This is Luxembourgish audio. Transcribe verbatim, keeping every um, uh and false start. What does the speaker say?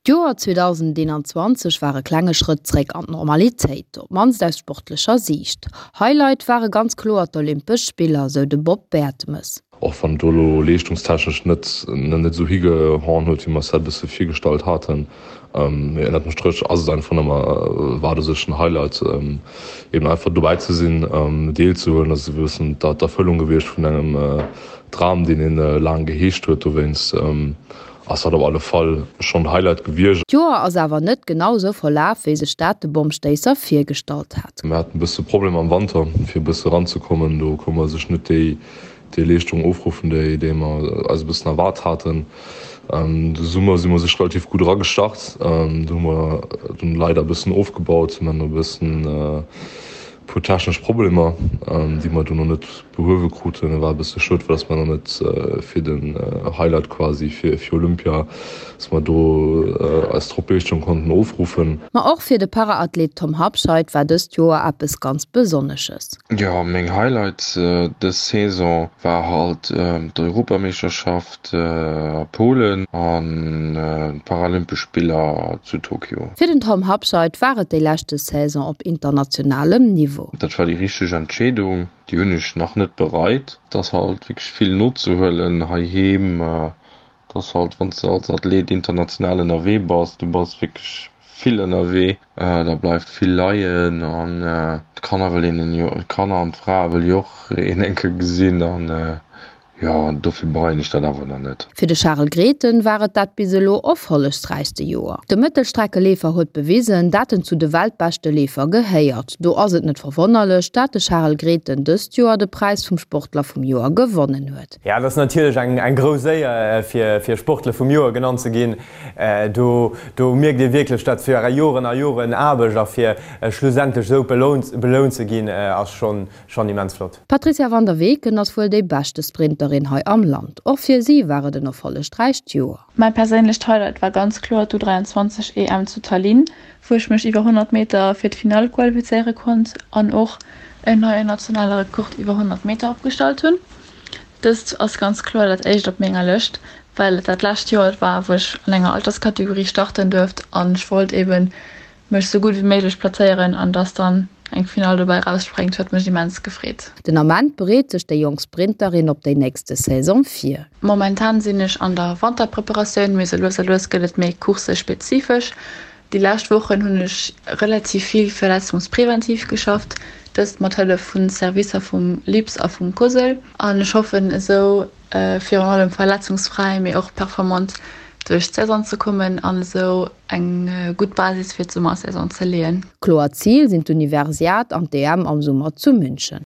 D'Joer zweedausendeenanzwanzeg war e klenge Schrëtt zréck an d'Normalitéit, op d'mannst aus sportlecher Siicht. Highlight ware ganz kloer d'Olympesch Spiller, sou de Bob Bertemes. Och wann et do elo leeschtungstechnesch net net esou higehauen huet, wéi mer eis dat e bësse virgestallt haten, mee ënnert dem Stréch ass et einfach nëmme, war et u sech en Highlight, eben einfach dobäi ze sinn, deelzehuelen. Dat ass e bëssen d'Erfëllung gewiescht vun engem Dram, deen een laang geheegt huet. Dowéinst ass dat op alle Fall schonn Highlight gewiescht. D'Joer ass awer net genau esou verlaf, wéi sech dat de Bommstéisser virgestallt hat. Mir haten e bësse Problemer am Wanter, fir e bësse eranzekommen. Do konnte mer sech net déi déi Leeschtung ofruffen, déi déi mer eis e bëssen erwaart haten. De Summer si mer sech relativ gutt eragestart. Do hu mer dunn leider e bëssen ofgebaut. Mir haten e bëssen puer technesch Problemer, déi mer dunn och net behuewe kruten. War e bësse schued, well dass mer nach net fir den Highlight quasi fir fir Olympia, dass mer do eis Topleeschtung konnten ofruffen. Ma och fir de Paraathlet Tom Habscheid war dëst Joer eppes ganz Besonnesches. Jo, meng Highlights dës Saison war halt d'Europameeschterschaft a Polen an d'Paralympesch Spiller zu Tokio. Fir den Tom Habscheid war et déi leschte Saison op internationalem Niveau. Dat war déi richteg Entscheedung, déi hunn ech nach net bereit. Et ass halt wierklech vill nozehuelen heiheem. Et ass halt, wann s de als Athlet international ënnerwee bass, du bass wierklech vill ënnerwee, da bleift vill leien an d'Kanner wëll een jo, d'Kanner an d'Frae wëll jo och een eng Kéier gesinn an Jo, dofir bereien ech dat awer nach net. Fir de Charel Grethen war et dat bis elo erfollegsräichste Joer. De Mëttelstreckeleefer huet bewisen, dat en zu de weltbeschte Leefer gehéiert. Do ass et net verwonnerlech, dat de Charel Grethen dëst Joer de Präis vum Sportler vum Joer gewonnen huet. Jo, et ass natierlech eng grouss Éier fir Sportler vum Joer genannt ze ginn. Do do mierkt ee wierklech, dat fir Joren a Joren Aarbecht a fir schlussendlech esou belount ze ginn, ass schonn schonn immens flott. D'Patrizia van der Weken ass wuel déi beschte Sprinterin hei am Land. Och fir si war et en erfollegräicht Joer. Mäi perséinlecht Highlight war ganz kloer d'U dräianzwanzeg E M zu Tallinn, wou ech mech iwwer honnert Meter fir d'Finall qualifizéiere konnt an och en neien nationale Rekord iwwer honnert Meter opgestallt hunn. Dëst ass ganz kloer dat éischt op menger Lëscht, well et dat lescht Joer war, wou ech an enger Alterskategorie starten duerft an ech wollt eben mech sou gutt wéi méiglech plazéieren an dass dann eng Finall dobäi rausspréngt huet mech immens gefreet. Den Ament bereet sech déi jonk Sprinterin op déi nächste Saison vir. Momentan sinn ech an der Wanterpreparatioun, mee sou lues a lues gëtt et méi coursespezifesch. Déi lescht Wochen hunn ech relativ vill verletzungspräventiv geschafft, dëst mat Hëllef vu Servicer vum LIPS a vum COSL. An ech hoffen esou virun allem verletzungsfräi, mee och performant duerch d'Saison ze kommen an esou eng gutt Basis fir d'Summersaison ze leeën. Kloert Zil sinn d'Universiad an d'E M am Summer zu München.